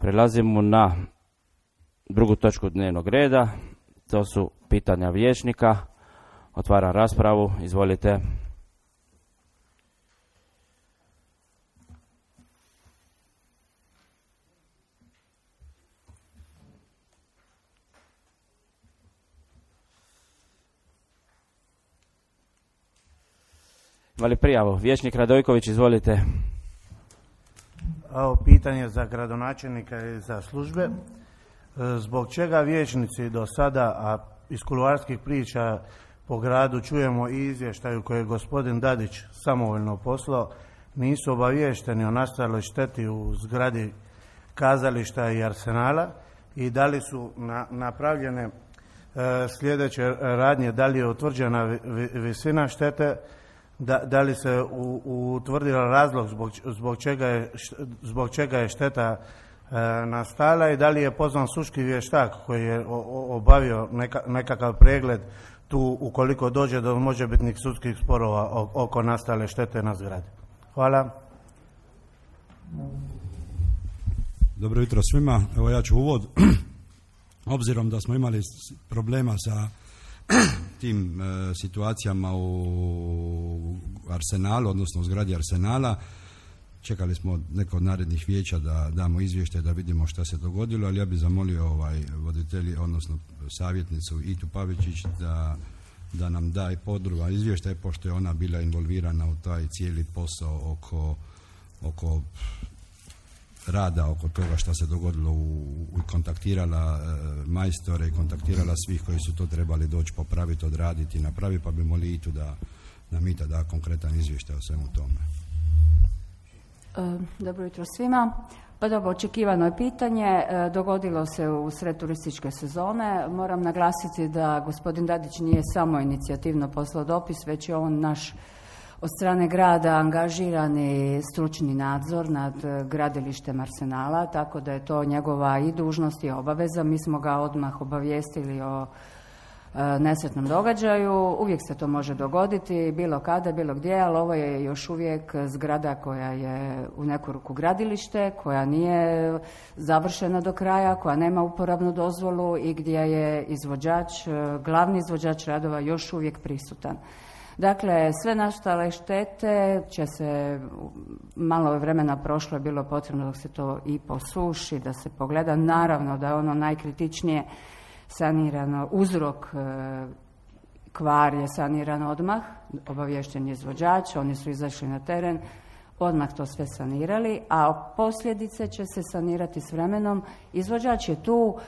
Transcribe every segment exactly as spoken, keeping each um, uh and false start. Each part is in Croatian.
Prelazimo na drugu točku dnevnog reda. To su pitanja vijećnika. Otvaram raspravu. Izvolite. Imali prijavu? Vijećnik Radojković, izvolite. Ovo pitanje za gradonačelnika i za službe. Zbog čega vijećnici do sada, a iz kuloarskih priča po gradu čujemo i izvještaju koje je gospodin Dadić samovoljno poslao, nisu obaviješteni o nastaloj šteti u zgradi kazališta i Arsenala i da li su na, napravljene e, sljedeće radnje, da li je utvrđena vi, visina štete, Da, da li se utvrdio razlog zbog, zbog, čega je, zbog čega je šteta e, nastala i da li je pozvan sudski vještak koji je o, o, obavio neka, nekakav pregled tu ukoliko dođe do možebitnih sudskih sporova o, oko nastale štete na zgradi. Hvala. Dobro jutro svima. Evo ja ću uvod. Obzirom da smo imali problema sa tim e, situacijama u Arsenalu, odnosno u zgradi Arsenala, čekali smo neko od narednih vijeća da damo izvještaj da vidimo šta se dogodilo, ali ja bih zamolio ovaj voditelji, odnosno savjetnicu Itu Pavičić da, da nam da i podruga izvještaj, pošto je ona bila involvirana u taj cijeli posao oko, oko rada oko toga što se dogodilo u, u kontaktirala e, majstore i kontaktirala svih koji su to trebali doći popraviti, odraditi i napraviti, pa bi molili Itu da nam Ita da konkretan izvještaj o svemu tome. E, dobro jutro svima. Pa dobro, očekivano je pitanje, e, dogodilo se u sred turističke sezone. Moram naglasiti da gospodin Dadić nije samo inicijativno poslao dopis, već je on naš od strane grada angažirani stručni nadzor nad gradilištem Arsenala, tako da je to njegova i dužnost i obaveza. Mi smo ga odmah obavijestili o e, nesretnom događaju. Uvijek se to može dogoditi, bilo kada, bilo gdje, ali ovo je još uvijek zgrada koja je u neku ruku gradilište, koja nije završena do kraja, koja nema uporabnu dozvolu i gdje je izvođač, glavni izvođač radova još uvijek prisutan. Dakle, sve nastale štete će se, malo vremena prošlo je bilo potrebno dok se to i posuši, da se pogleda. Naravno da je ono najkritičnije sanirano, uzrok e, kvar je saniran odmah, obaviješten je izvođač, oni su izašli na teren, odmah to sve sanirali, a posljedice će se sanirati s vremenom. Izvođač je tu.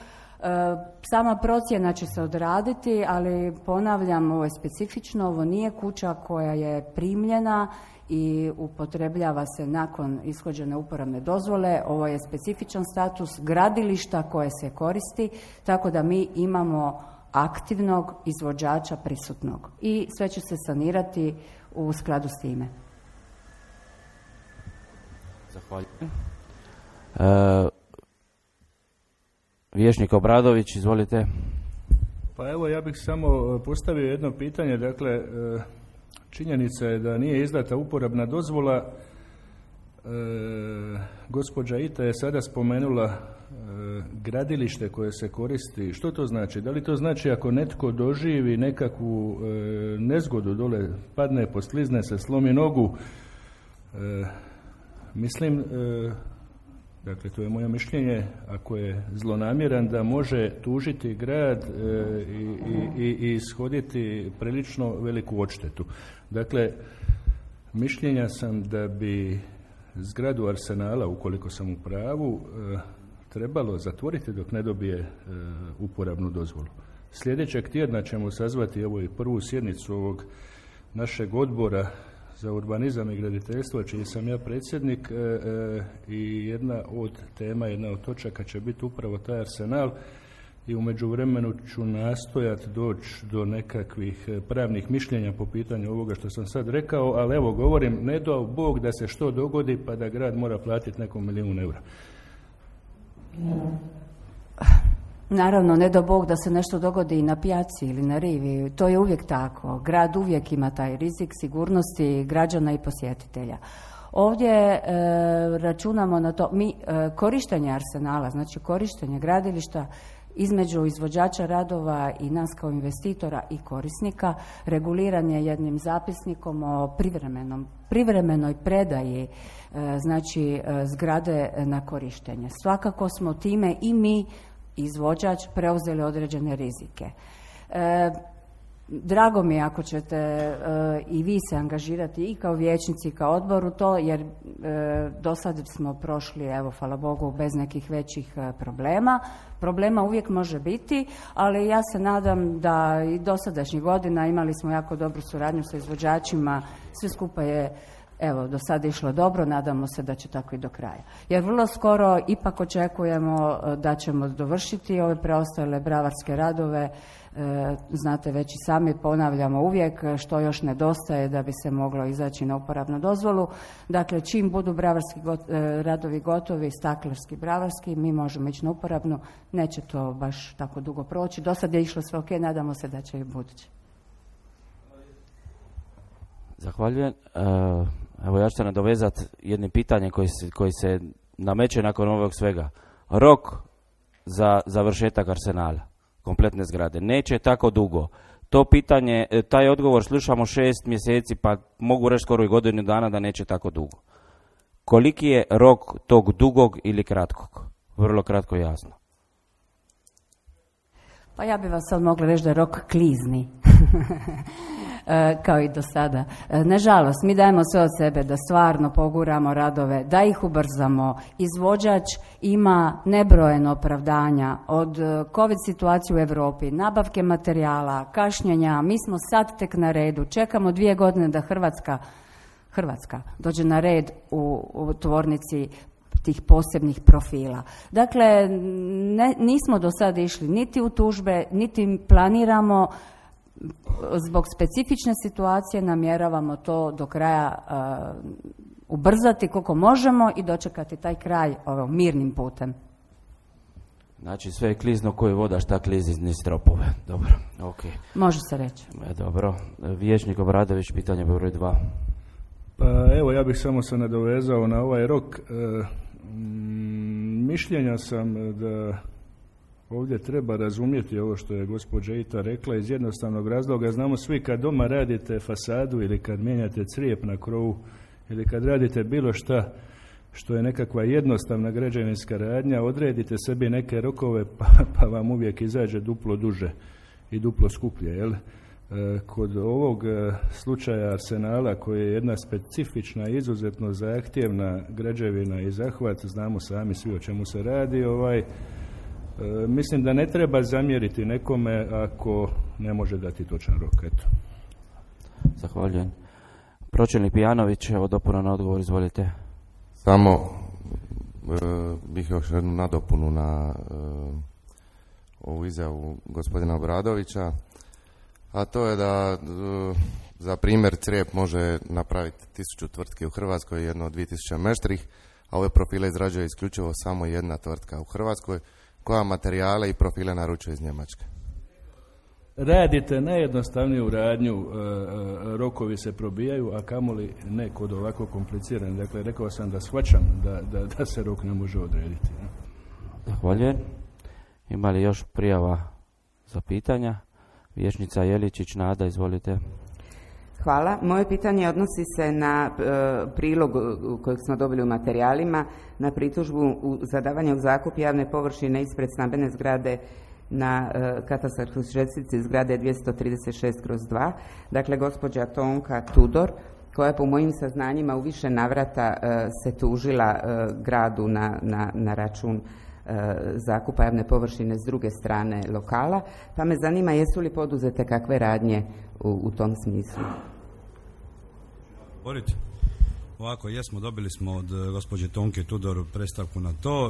Sama procjena će se odraditi, ali ponavljam, ovo je specifično, ovo nije kuća koja je primljena i upotrebljava se nakon ishođene uporabne dozvole. Ovo je specifičan status gradilišta koje se koristi, tako da mi imamo aktivnog izvođača prisutnog i sve će se sanirati u skladu s time. Zahvaljujem. E... Vijećnik Obradović, izvolite. Pa evo, ja bih samo postavio jedno pitanje. Dakle, činjenica je da nije izdata uporabna dozvola. E, gospođa Ita je sada spomenula e, gradilište koje se koristi. Što to znači? Da li to znači ako netko doživi nekakvu e, nezgodu dole, padne, posklizne se, slomi nogu? E, mislim... E, Dakle, to je moje mišljenje, ako je zlonamjeran, da može tužiti grad e, i, i, i ishoditi prilično veliku odštetu. Dakle, mišljenja sam da bi zgradu Arsenala, ukoliko sam u pravu, e, trebalo zatvoriti dok ne dobije e, uporabnu dozvolu. Sljedećeg tjedna ćemo sazvati evo i prvu sjednicu ovog našeg odbora za urbanizam i graditeljstvo, čiji sam ja predsjednik, e, e, i jedna od tema, jedna od točaka će biti upravo taj Arsenal i u međuvremenu ću nastojati doći do nekakvih pravnih mišljenja po pitanju ovoga što sam sad rekao, ali evo govorim, ne dao Bog da se što dogodi pa da grad mora platiti nekom milijun eura. Naravno, ne do Bog da se nešto dogodi i na pijaci ili na rivi, to je uvijek tako. Grad uvijek ima taj rizik sigurnosti građana i posjetitelja. Ovdje e, računamo na to, mi e, korištenje arsenala, znači korištenje gradilišta između izvođača radova i nas kao investitora i korisnika reguliran je jednim zapisnikom o privremenom, privremenoj predaji e, znači e, zgrade na korištenje. Svakako smo time i mi, izvođač, preuzeli određene rizike. E, Drago mi je ako ćete e, i vi se angažirati i kao vijećnici i kao odbor u to, jer e, do sad smo prošli, evo, hvala Bogu, bez nekih većih e, problema. Problema uvijek može biti, ali ja se nadam da i dosadašnjih godina imali smo jako dobru suradnju sa izvođačima, sve skupa je, evo, do sada išlo dobro, nadamo se da će tako i do kraja. Jer vrlo skoro ipak očekujemo da ćemo dovršiti ove preostale bravarske radove. E, znate, već i sami ponavljamo uvijek što još nedostaje da bi se moglo izaći na uporabnu dozvolu. Dakle, čim budu bravarski got, e, radovi gotovi, staklarski, bravarski, mi možemo ići na uporabnu. Neće to baš tako dugo proći. Do sad je išlo sve ok, nadamo se da će i budući. Zahvaljujem. Evo, ja ću se nadovezati jednim pitanjem koji se, koji se nameće nakon ovog svega. Rok za završetak arsenala, kompletne zgrade, neće tako dugo. To pitanje, taj odgovor slušamo šest mjeseci, pa mogu reći skoro i godinu dana da neće tako dugo. Koliki je rok tog dugog ili kratkog? Vrlo kratko i jasno. Pa ja bih vas sad mogla reći da je rok klizni. Kao i do sada. Nažalost, mi dajemo sve od sebe da stvarno poguramo radove, da ih ubrzamo. Izvođač ima nebrojeno opravdanja od COVID situacije u Europi, nabavke materijala, kašnjenja. Mi smo sad tek na redu. Čekamo dvije godine da Hrvatska, Hrvatska dođe na red u, u tvornici tih posebnih profila. Dakle, ne, nismo do sada išli niti u tužbe, niti planiramo. Zbog specifične situacije namjeravamo to do kraja uh, ubrzati koliko možemo i dočekati taj kraj ovim mirnim putem. Znači sve je klizno koje voda, šta klizi niz stropove. Dobro, ok. Može se reći. E, dobro. Vijećnik Obradović, pitanje broj dva. Pa evo, ja bih samo se nadovezao na ovaj rok. E, m, mišljenja sam da ovdje treba razumjeti ovo što je gospođa Ita rekla iz jednostavnog razloga. Znamo svi kad doma radite fasadu ili kad mijenjate crijep na krovu ili kad radite bilo šta što je nekakva jednostavna građevinska radnja, odredite sebi neke rokove pa, pa vam uvijek izađe duplo duže i duplo skuplje. Jel? E, kod ovog slučaja arsenala koji je jedna specifična, izuzetno zahtjevna građevina i zahvat, znamo sami svi o čemu se radi, ovaj E, mislim da ne treba zamjeriti nekome ako ne može dati točan rok. Eto. Zahvaljujem. Pročelnik Pijanović, evo dopuna na odgovor, izvolite. Samo e, bih još jednu nadopunu na e, ovu izjavu gospodina Obradovića, a to je da e, za primjer crijep može napraviti tisuću tvrtki u Hrvatskoj i jedno od dvije tisuće meštrih, a ove profile izrađuje isključivo samo jedna tvrtka u Hrvatskoj koja materijale i profile naručuje iz Njemačke. Radite najjednostavniju radnju, e, rokovi se probijaju, a kamoli ne kod ovako kompliciran. Dakle, rekao sam da shvaćam da, da, da se rok ne može odrediti. Zahvaljujem. Ima li još prijava za pitanja? Vijećnica Jeličić, Nada, izvolite. Hvala. Moje pitanje odnosi se na e, prilog kojeg smo dobili u materijalima, na pritužbu u zadavanje u zakup javne površine ispred stambene zgrade na e, katastarskoj čestici zgrade dvjesto trideset šest kroz dva. Dakle, gospođa Tonka Tudor, koja po mojim saznanjima u više navrata e, se tužila e, gradu na, na, na račun e, zakupa javne površine s druge strane lokala, pa me zanima jesu li poduzete kakve radnje u, u tom smislu. Borite. Ovako, jesmo, dobili smo od gospođe Tonke Tudor predstavku na to.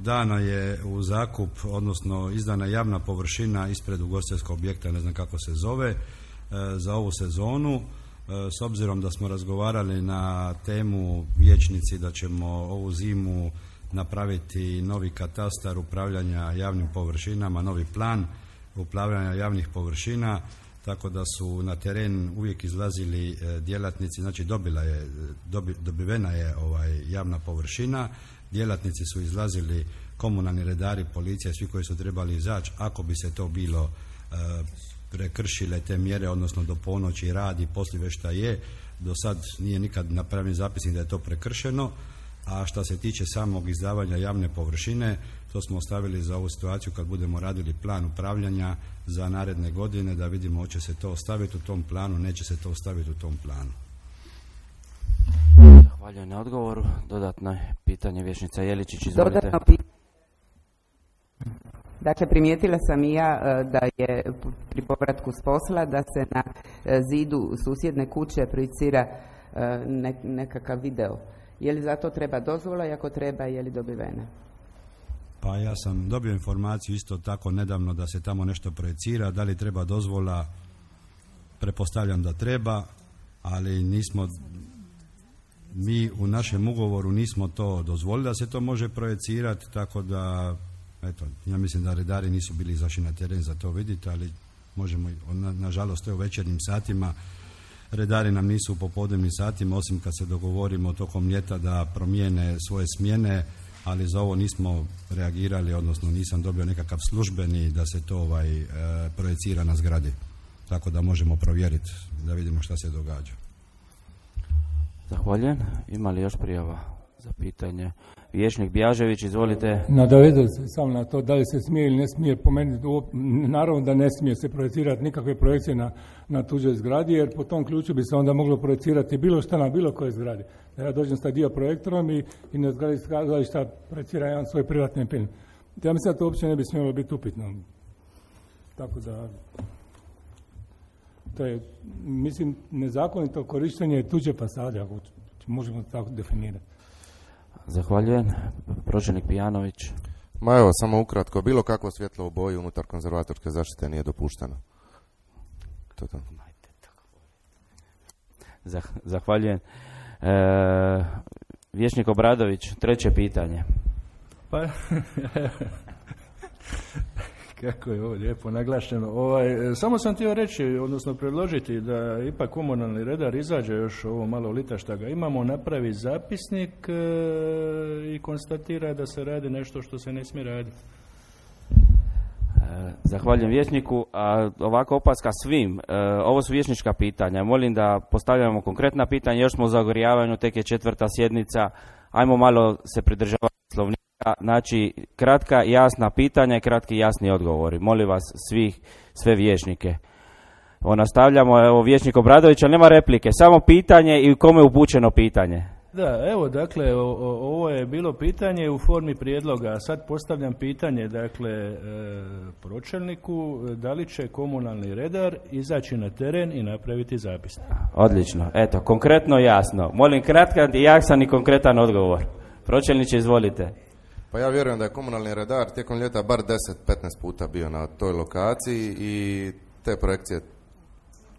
Dana je u zakup, odnosno izdana javna površina ispred ugostiteljskog objekta, ne znam kako se zove, za ovu sezonu. S obzirom da smo razgovarali na temu vijećnici da ćemo ovu zimu napraviti novi katastar upravljanja javnim površinama, novi plan upravljanja javnih površina, tako da su na teren uvijek izlazili e, djelatnici, znači dobila je, dobi, dobivena je ovaj, javna površina, djelatnici su izlazili, komunalni redari, policija, svi koji su trebali izaći, ako bi se to bilo e, prekršile te mjere, odnosno do ponoći radi, poslije šta je, do sad nije nikad napravljen zapisnik da je to prekršeno, a što se tiče samog izdavanja javne površine, to smo ostavili za ovu situaciju kad budemo radili plan upravljanja za naredne godine, da vidimo hoće se to ostaviti u tom planu, neće se to ostaviti u tom planu. Zahvaljujem na odgovoru. Dodatno pitanje Vječnica Jeličić, izvolite. Dodatno pitanje. Dakle, primijetila sam i ja da je pri povratku s posla da se na zidu susjedne kuće projicira nekakav video. Je li za to treba dozvola i ako treba, je li dobivena? Pa ja sam dobio informaciju isto tako nedavno da se tamo nešto projicira, da li treba dozvola, pretpostavljam da treba, ali nismo, mi u našem ugovoru nismo to dozvolili da se to može projicirati, tako da, eto, ja mislim da redari nisu bili izašli na teren za to vidjeti, ali možemo, na, nažalost, to je u večernjim satima, redari nam nisu u popodnevnim satima, osim kad se dogovorimo tokom ljeta da promijene svoje smjene, ali za ovo nismo reagirali, odnosno nisam dobio nekakav službeni da se to ovaj, e, projicira na zgradi. Tako da možemo provjeriti da vidimo šta se događa. Zahvaljujem. Ima li još prijava za pitanje? Vijećnik Bjažević, izvolite. Nadovezao se samo na to da li se smije ili ne smije, po meni naravno da ne smije se projecirati nikakve projekcije na, na tuđoj zgradi, jer po tom ključu bi se onda moglo projecirati bilo šta na bilo kojoj zgradi. Da ja dođem sa dio projektorom i, i na zgradi šta projecira jedan svoj privatni film. Ja mislim da to uopće ne bi smjelo biti upitno. Tako da to je, mislim, nezakonito korištenje tuđe fasade, ako možemo tako definirati. Zahvaljujem. Pročelnik Pijanović. Ma evo, samo ukratko, bilo kakvo svjetlo u boji unutar konzervatorske zaštite nije dopušteno. To to. Zahvaljujem. E, Vijećnik Obradović, treće pitanje. Pa, kako je ovo lijepo naglašeno. Ovaj, samo sam htio reći, odnosno predložiti da ipak komunalni redar izađe još ovo malo lita šta ga imamo, napravi zapisnik e, i konstatira da se radi nešto što se ne smije raditi. Zahvaljujem vijećniku. A ovako opaska svim, e, ovo su vijećnička pitanja. Molim da postavljamo konkretna pitanja, još smo u zagorjavanju, tek je četvrta sjednica, ajmo malo se pridržavati Poslovnika. Znači, kratka, jasna pitanja i kratki, jasni odgovori. Molim vas svih, sve vijećnike. O, nastavljamo, evo vijećnik Obradović, ali nema replike, samo pitanje i kome je upućeno pitanje. Da, evo, dakle, o, o, ovo je bilo pitanje u formi prijedloga, a sad postavljam pitanje, dakle, e, pročelniku, da li će komunalni redar izaći na teren i napraviti zapisnik? Odlično, eto, konkretno, jasno. Molim kratkan i jasan i konkretan odgovor. Pročelniče, izvolite. Pa ja vjerujem da je komunalni redar tijekom ljeta bar deset do petnaest puta bio na toj lokaciji i te projekcije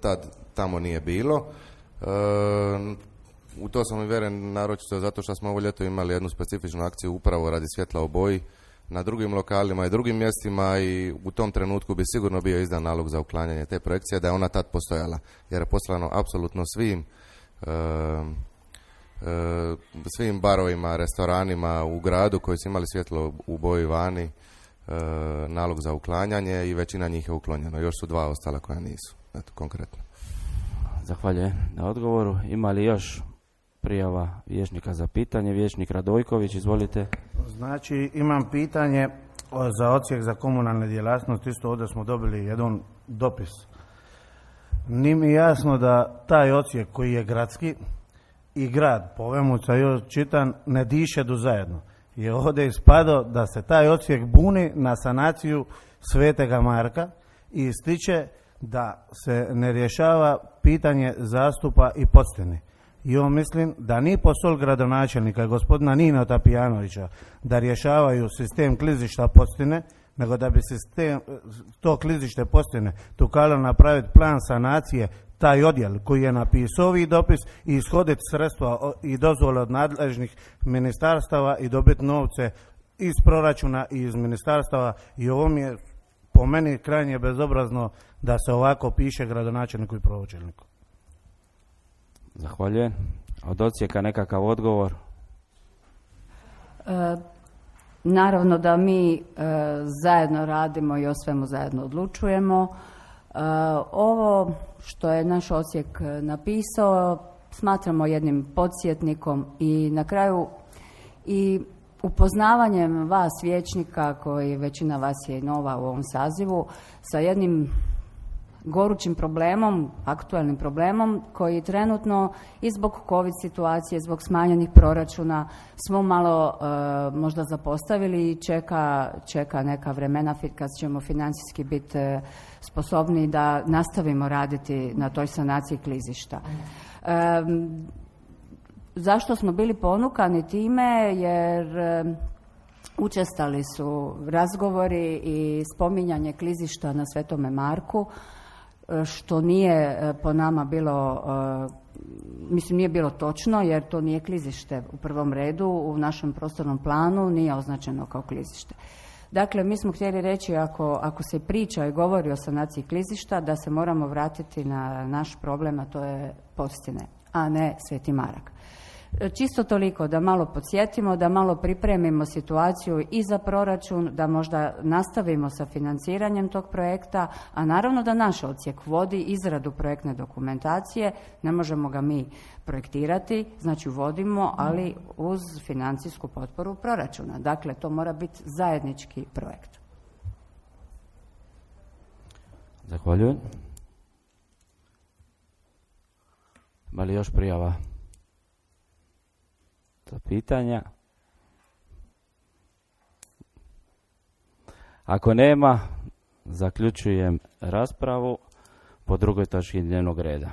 tad tamo nije bilo. E, u to sam uvjeren naročito zato što smo ovo ljeto imali jednu specifičnu akciju upravo radi svjetla u boji na drugim lokalima i drugim mjestima i u tom trenutku bi sigurno bio izdan nalog za uklanjanje te projekcije da je ona tad postojala, jer je poslano apsolutno svim e, svim barovima, restoranima u gradu koji su imali svjetlo u boji vani nalog za uklanjanje i većina njih je uklonjeno. Još su dva ostala koja nisu. Eto, konkretno. Zahvaljujem na odgovoru. Ima li još prijava vijećnika za pitanje? Vijećnik Radojković, izvolite. Znači, imam pitanje za odsjek za komunalne djelatnosti. Isto ovdje smo dobili jedan dopis. Nije mi jasno da taj odsjek koji je gradski i grad, po ovemu sam još čitan, ne diše do zajedno. I ovdje je ispadao da se taj odsjek buni na sanaciju Svetega Marka i ističe da se ne rješava pitanje zastupa i podstine. I on mislim da ni posol gradonačelnika gospodina Nino Tapijanovića da rješavaju sistem klizišta podstine, nego da bi sistem, to klizište podstine tukalo napraviti plan sanacije, taj odjel koji je napisao ovaj dopis i ishoditi sredstva i dozvole od nadležnih ministarstava i dobiti novce iz proračuna i iz ministarstava. I ovo mi je po po meni krajnje bezobrazno da se ovako piše gradonačelniku i pročelniku. Zahvaljujem. Od Osijeka nekakav odgovor? E, naravno da mi e, zajedno radimo i o svemu zajedno odlučujemo. E, ovo što je naš Osijek napisao smatramo jednim podsjetnikom i na kraju i upoznavanjem vas vijećnika, koji većina vas je i nova u ovom sazivu, sa jednim gorućim problemom, aktualnim problemom koji trenutno i zbog COVID situacije, zbog smanjenih proračuna smo malo e, možda zapostavili i čeka, čeka neka vremena kad ćemo financijski biti e, sposobni da nastavimo raditi na toj sanaciji klizišta. E, zašto smo bili ponukani time? Jer e, učestali su razgovori i spominjanje klizišta na Svetome Marku, što nije po nama bilo, mislim nije bilo točno, jer to nije klizište u prvom redu, u našem prostornom planu nije označeno kao klizište. Dakle, mi smo htjeli reći, ako, ako se priča i govori o sanaciji klizišta, da se moramo vratiti na naš problem, a to je Postine, a ne Sveti Marak. Čisto toliko da malo podsjetimo, da malo pripremimo situaciju i za proračun, da možda nastavimo sa financiranjem tog projekta, a naravno da naš odsjek vodi izradu projektne dokumentacije, ne možemo ga mi projektirati, znači vodimo, ali uz financijsku potporu proračuna. Dakle, to mora biti zajednički projekt. Zahvaljujem. Ima li još prijava za pitanja? Ako nema, zaključujem raspravu po drugoj točki dnevnog reda.